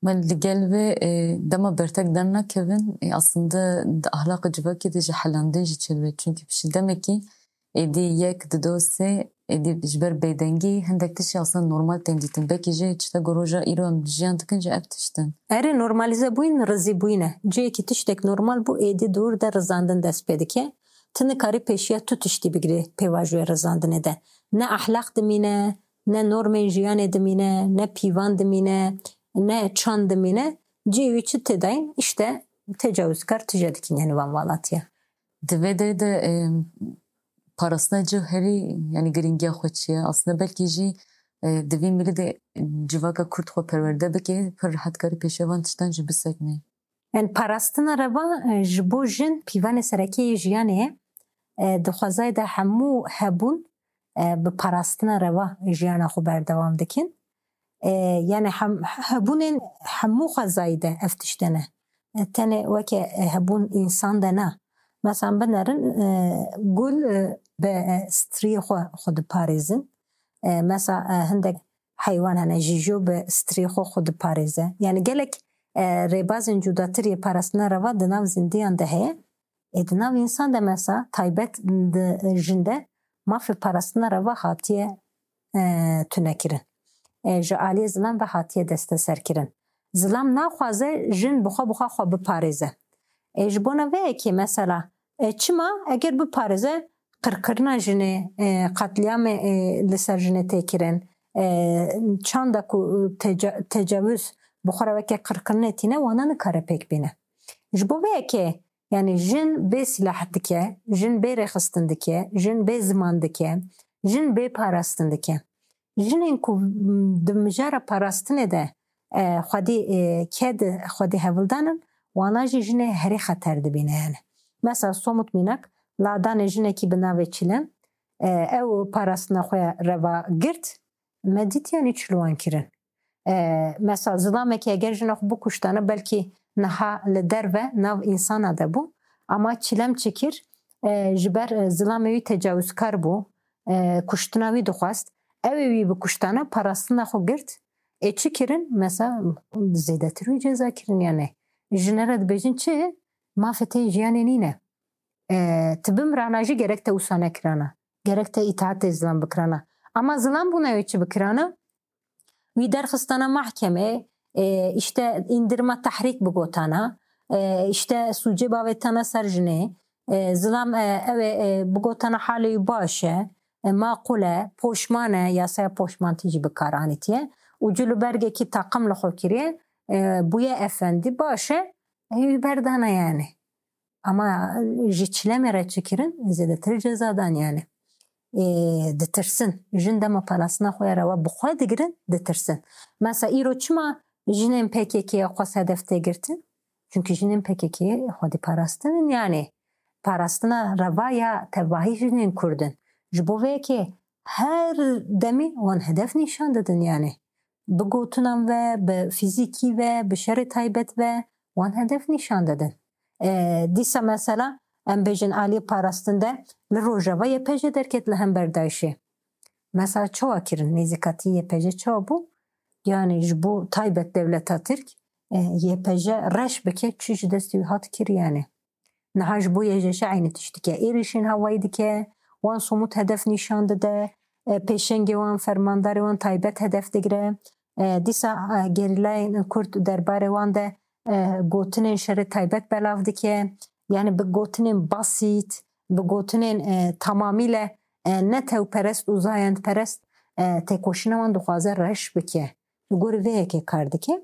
Me li gel vê, e, dema bertek dernakevin, e, aslında di ahlaqê civakê de jî helandin jî çêdibe. Çunkî piştî demekî êdî yek, dido, sê, êdî ji ber bêdengî hindek tiştî aslında normal tên dîtin. Belkî jî tişta ku roja îro em jiyan dikin jî ev tişt in. Erê, normalîze bûyîn, rizî bûyîn e. Cihekî tiştek normal bû, êdî dûr de rizandin dest pê dike. Tu nikarî pêşiya tu tiştî bigirî pêvajoyê rizandinê de. Ne ahlaq dimîne, ne normên jiyanê dimîne, ne pîvan dimîne, ne çand dimîne. Cihê wî çi tê dayîn? Îşte tecawizkar tije dikin, yani van valatiye. Di vê derê de, e, parastina cih herî, yani girîngiya xwe çi ye? Aslında belkî jî, e, di vî milî de civaka Kurd xwe perwerde bike, pir rehet karî pêşiya van tiştan jî bisekine. Yani parastina reva, e, ji bo jin pîvanê sereke yê jiyanê ye. E, di xwezayê de hemû hebûn, e, bi parastina reva jiyana xwe berdewam dikin. E, yani hem, hebûnên hemû xwezayî de ev tişt hene. E, tenê weke, e, hebûn însan de ne. Mesela binerin, e, gul, e, bi, e, striyê xwe, xwe diparêzin. E, mesela, e, hindek heywan hene, jîjo bi striyê xwe, xwe diparêze. Yani gelek, e, rêbazên cudatir yê parastina reva di nav zindiyan de heye. Ê di nav însan de mesela taybet di jin de mafê parastina reva hatiye, e, tunekirin. E, ji aliyê zilam ve hatiye desteserkirin. Zilam naxwaze jin bi xwe bi xwe xwe biparêze. E, ji bona vê yekê mesela, e, çima eger biparêze qirkirina jinê, e, qetlîamê, e, li ser jinê tê kirin, e, çanda ku teca-, tecawuz bi xwe re weke qirkirinê tîne, wana nikare pêk bîne. Ji bo vê yekê, yani jin bê sîlah dike, jin bê rêxistin dike, jin bê ziman dike, jin bê parastin dike. Jinên ku, m, di mijara parastinê de, e, xwedî, e, ked, xwedî hevldan in, wana jî jinê herî xeter dibîne yani. Mesela somut mînak, ladanê jinekî bi navê Çilem, e, ew parastina xwe ya reva girt, me dît yani çi li wan kirin. E, mesela zilamekî eger jina xwe bikuştana, belkî niha li derve nav însana de bû. Ama çilem çi kir? E, ji ber, e, zilamê wî tecawizkar bû, e, kuştina wî dixwest. Ew ê wî bikuştana, parastina xwe girt. Ê çi kirin? Mesela zêdetir wî ceza kirin yani. Jinere dibêjin çi? Mafê te jiyanê nîne. E, tu bimirana jî gerek te wisa nekirana. Gerek te îtaatê zilam bikirana. Ama zilam bûna wê çi bikirana? Wî derxistana mahkemê, e, işte indirma tehrîk bigotana, e, işte sûcê bavêtana ser jinê, e, zilam, e, ew ê, e, bigotana halê wî baş e, e, maqûl e, poşman e, yasaya poşmantî jî bi kar anîtiye. Û cil û bergekî taqim li xwe kiriye, e, bûye efendî, baş e, e, wî berdana yani. Ama ji çilemê re çi kirin? Zêdetir ceza dan yani. Ê, ditirsin. Jin dema parastina xwe ya rewa bi xwe digirin, ditirsin. Mesela îro çima jinên P K K'ye xwest hedef tê girtin? Çünkü jinên P K K'ye xwedî parastin in yani. Parastina rewa ya tevahî jinên Kurd in. Ji bo vê yekê her demî wan hedef nîşan didin yani. Bi gotinan ve, bi fîzîkî ve, bi şerê taybet ve wan hedef nîşan didin. E, dîsa mesela em bêjin aliyê parastin de li Rojava Y P J derket li hember DAIŞê. Mesela çawa kirin? Nêzîkatî Y P J çawa bû? Yani ji bo taybet dewleta Tirk, e, Y P J reş bike, çi ji destê wî hat kir yani. Niha ji bo Y J Ş eynî tişt dike. Êrişên hewayî dike, wan somût hedef nîşan dide, e, pêşengê wan, fermandarê wan taybet hedef digire. E, dîsa, e, gerîlayên Kurd derbarê wan de, e, gotinên şerê taybet belav dike. Yani bi gotinên basît, bi gotinên, e, tamamîle, e, netewperest û zayendperest, e, têkoşîna wan dixwaze reş bike. Li gorî vê yekê kar dike.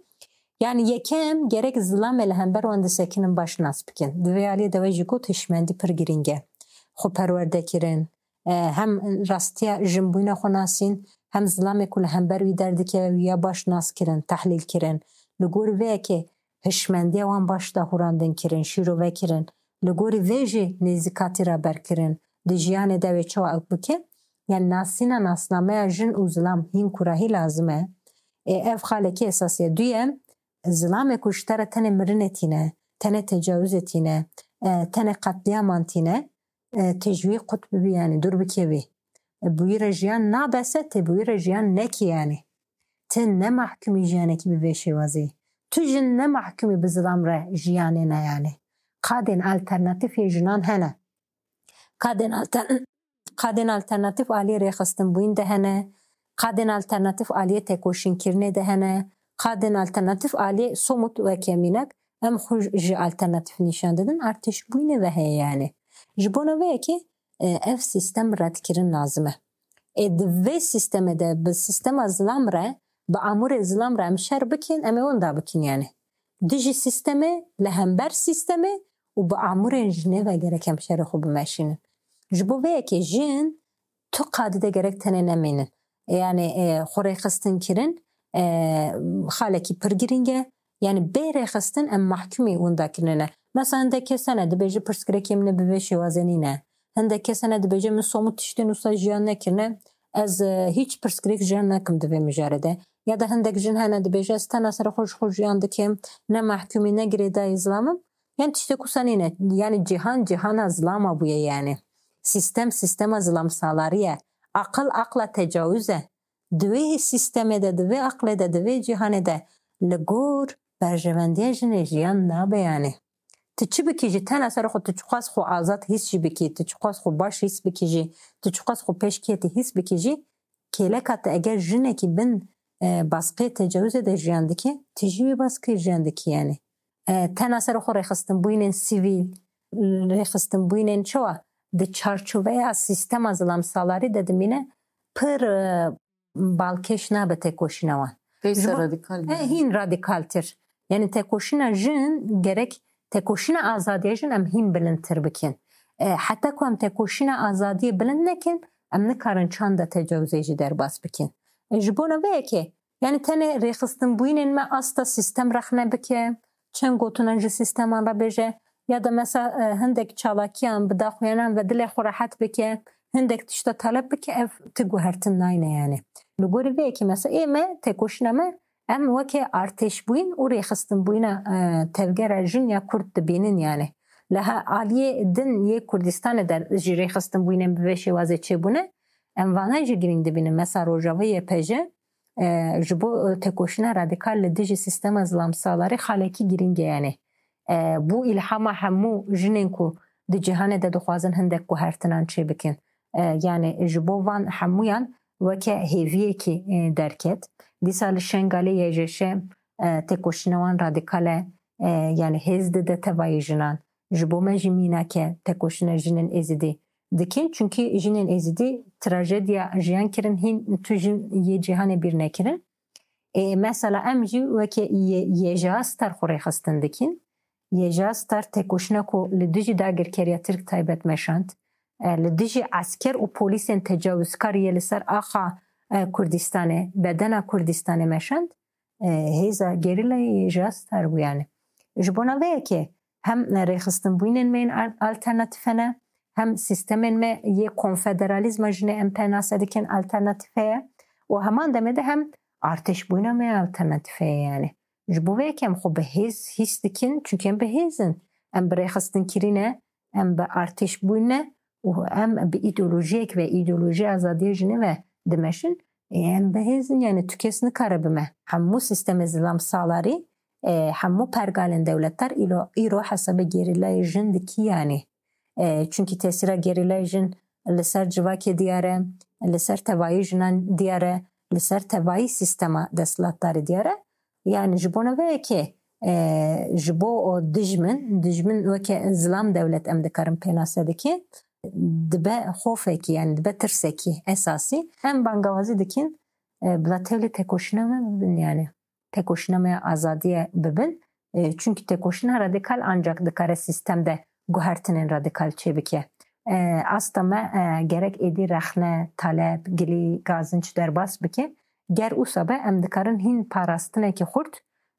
Yani yekem gerek zilamê li hember wan disekinin baş nas bikin. Di vê aliyê de we jî got hişmendî pir girîng e. Xwe perwerde kirin. E, hem rastiya jinbûyîna xwe nasîn, hem zilamê ku li hember wî derdikeve wî ya baş nas kirin, tehlîl kirin. Li gorî vê yekê hişmendiya wan baş dahurandin kirin, şîrove kirin. Li gorî vê jî nêzîkatî raber kirin. Di jiyanê de wê çawa ew bike? Yani nasîna nasnameya jin û zilam hîn kurahî lazim e. Ê, ev xalekî esasî ye. Duyem, zilamê ku ji te re tenê mirinê tîne, tenê tecawizê tîne, e, tenê qetlîyaman tîne, e, tê ji wî qut bibî, yani dûr bikevî. E, bi wî re jiyan nabese, tê bi wî re jiyan nekî yani. Ti ne mahkumî jiyanekî bi vê şêwazî. Tu jin ne mahkumî bi zilam re jiyanê ne yani. Qadên alternatîf yê jinan hene. Qadên alter-, qadên alternatîf aliyê rêxistinbûyîn de hene. Qadên alternatîf aliyê têkoşînkirinê de hene. Qadên alternatîf aliyê somût weke mînak em xwe ji alternatîf nîşan didin, artêşbûyînê ve heye yani. Ji bona vê yekê, e, ev sîstem redkirin lazim e. Ê di vê sîstemê de bi sîstema zilam re, bi amûrê zilam re em şer bikin, em ê wenda bikin yani. Dijî sîstemê, li hember sîstemê û bi amûrên jinê ve gerek em şerê xwe bimeşînin. Ji bo vê yekê jin tu qadî de gerek tenê nemînin. Yani, e, xwe rêxistin kirin, e, xalekî pir girîng e. Yani bê rêxistin em mahkumî winda kirine ne. Mesela hindek kes hene dibêje pirsgirêkê min ê bi vê şêwazê nîne. Hindek kes hene dibêje min somût tiştên wisa jiyan nekirine. Ez, e, hîç pirsgirêk jiyan nakim di vê mijarê de. Ya da hindek jin hene dibêje ez tena ser xwe ji xwe jiyan dikim. Ne mahkumî ne girêdayî zilam im. Yani tiştek wisa nîne. Yani cîhan cîhana zilama bûye yani. Sîstem sîstema zilamsalarî ye. Aqil aqla tecawuz e. Di wê sîstemê de, di vê aqlê de, di vê cîhanê de li gor berjevendiya jinê jiyan nabe yani. Tu çi bikî jî, tena ser xwe, tu çiqas xwe azad hîs jî bikî, tu çiqas xwe baş hîs bikî jî, tu çiqas xwe pêş kêtî hîs bikî jî, kêleka te eger jinekî bin, e, baskê tecawizê de jiyan dike, tu jî wê baskê jiyan dikî yani. E, tena ser xwe rêxistinbûyînên sivîl, rêxistinbûyînên çawa di çarçoveya sîstema zilamsalarî de dimîne, pir, e, balkêş nabe têkoşîna wan. Pêşe Ji bo radîkal He, bûye. Hîn radîkaltir. Yani têkoşîna jin gerek têkoşîna azadiya jin em hîn bilindtir bikin. E, heta ku em têkoşîna azadiyê bilind nekin, em nikarin çanda tecawizê jî derbas bikin. E, ji bona vê yekê, yani tenê rêxistinbûyînên me asta sîstem rexne bike, çend gotinan ji sîsteman re bêje, ya da mesela, e, hindek çalakiyan bi daxuyanan ve dilê xwe rehet bike, hindek tişta talep bike, ev ti guhertin nayne yani. Li gorî vê yekê mesela ê me, têkoşîna me Em weke artêşbûyîn û rêxistinbûyîna, e, tevgera jin ya Kurd dibînin yani. Li ha-, aliyê din yê Kurdistanê de jî rêxistinbûyînên bi vê şêwazê çêbûne. Em vana jî girîng dibînin. Mesela Rojava Y P J, e, ji bo, e, tekoşîna radîkal li dijî sîstema zilamsalarî xalekî girîng e yani. E, bû îlhama hemû jinên ku di cîhanê de dixwazin hindek guhertinan çêbikin. E, yani ji bo van hemûyan weke hêviyekî, e, derket. Dîsa li Şengalê Y J Ş, e, tekoşîna wan radîkal e, e, yani hêz dide tevayî jinan. Ji bo me jî mînak e tekoşîna jinên Êzidî dikin. Çunkî jinên Êzidî trajediya jiyan kirin, hîn tu jin yê cîhanê bîr nekirin. Ê, mesela em jî weke Y-, YJA Star xwe rêxistin dikin. YJA Star tekoşîna ku li dijî dagirkeriya Tirk taybet meşand, e, li dijî esker û polîsên tecawizkar yê li ser axa, e, Kurdistanê, bedena Kurdistanê meşand, e, hêza gerîlayê YJA Star bû yani. Ji bona vê yekê hem rêxistinbûyînên me yên al-, alternatîfe ne, hem sîstemên me yê konfederalîzma jinê em pênase dikin alternatîfe ye û heman demê de hem artêşbûyîna me alternatîfe ye yani. Ji bo vê yekê em xwe bi hêz hîs dikin, çunkî em bi hêz in. Em bi rêxistinkirî ne, em bi artêşbûyîn ne û em bi îdeolojiyek ve, îdeolojiya azadiya jinê ve dimeşin. Ê, em bi hêz in, yani tu kes nikare bi me. Hemû sîstemê zilam salarî, e, hemû pergalên dewletar îlo-, îro hesabê gerîlayê jin dikî yani. E, çunkî tesîra gerîlayê jin li ser civakê diyar e, li ser tevayî jinan diyar e, li ser tevayî sîstema desthilatdarî diyar e. Yani ji bona vê yekê, e, ji bo o dijmin, dijmin weke zilam dewlet em dikarin pênase dikin, dibe xofekî, yani dibe tirsekî esasî. Em bangawazî dikin, e, bila tevlî tekoşîna me bibin yani. Tekoşîna me ya azadiyê bibin. E, çunkî tekoşîna radîkal ancak dikare sîstem de guhertinên radîkal çêbike. E, asta me, e, gerek êdî rexne, talep, gilî, gazinç derbas bike. Ger wisa be, em dikarin hîn parastinekî xurt,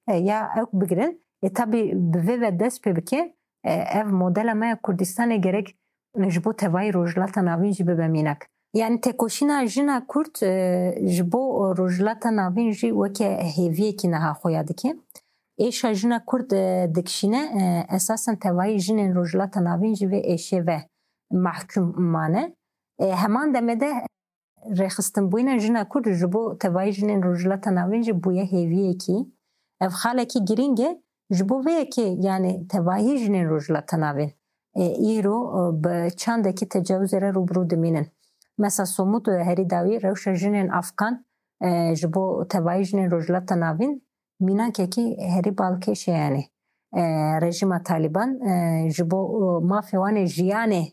e, ya ew bigirin. E, tabî bi vê ve dest pê bike, e, ev modela me ya Kurdistanê gerek ji bo tevayî Rojhilata Navîn jî bibe mînak. Yani tekoşîna jina Kurd, e, ji bo Rojhilata Navîn jî weke hêviyekî niha xuya dike. Êşa jina Kurd, e, dikişîne, e, esasen tevayî jinên Rojhilata Navîn jî vê êşê ve mahkûm mane. E, heman demê de rêxistinbûyîna jina Kurd ji bo tevayî jinên Rojhilata Navîn jî bûye hêviyekî. Ev xalekî girîng e. Ji bo vê yekê, yani tevayî jinên Rojhilata Navîn, e, îro, e, bi çandekî tecawizê re rûbirû dimînin. Mesela somût, e, herî dawî rewşa jinên Afgan, e, ji bo tevayî jinên Rojhilata Navîn mînakekî herî balkêş e yani. E, rejîma Talîban, e, ji bo, e, mafê wan ê jiyanê,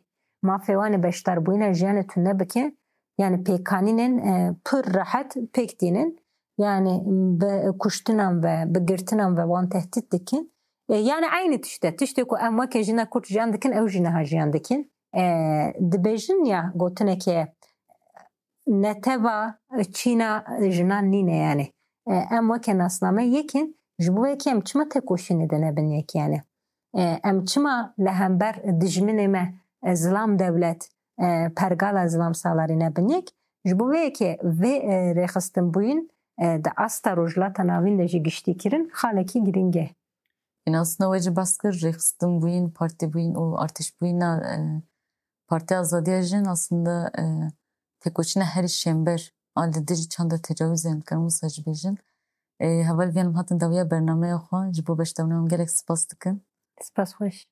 mafê wan ê beşdarbûyîna jiyanê tune bike, yani pêkanînên, e, pir rehet pêk tînin. Yani bi kuştinan ve, bi girtinan ve wan tehdît dikin. E, yani eynî tişt e. Tiştê ku em weke jina Kurd jiyan dikin, ew jî niha jiyan dikin. E, dibêjin ya gotineke neteva çîna jinan nîne yani. E, em weke nasname yek in, ji bo yekê em çima tekoşînê de nebin yek yani? E, em çima li hember dijminê me, e, zilam dewlet, e, pergala zilam salarî nebin yek? Ji bo vê yekê vê, e, rêxistinbûyîn, e, di asta Rojhilata Navîn de jî giştî kirin, xalekî girîng e. Ên aslında we jî behs kir, rêxistinbûyîn, partîbûyîn û artêşbûyîna, e, Partiya Azadiya Jin aslında, e, tekoşîna herî şênber a li dijî çanda tecawizên, dikarin wisa jî bêjin. E, heval vî em hatin dawiya bernameya xwe, ji bo beşdabûna wan gelek spas dikin. Spas xweş.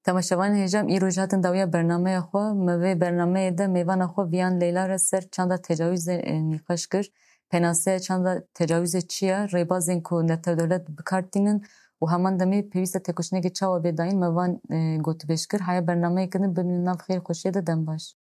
Temaşevanên hêja, em îro jî hatin dawiya bernameya xwe. Me vê bernameyê de mêvana xwe Viyan Leyla re ser çanda tecawizê, e, nîqaş kir. Pênaseya çanda tecawizê çi ye? Rêbazên ku netewdewlet bi kar tînin û heman demê pêwîst e tekoşînekê çawa bê dayîn, me van, e, gotibêj kir. Haya bernameyeke din bimînin nav xêr xweşiyê de, dem baş.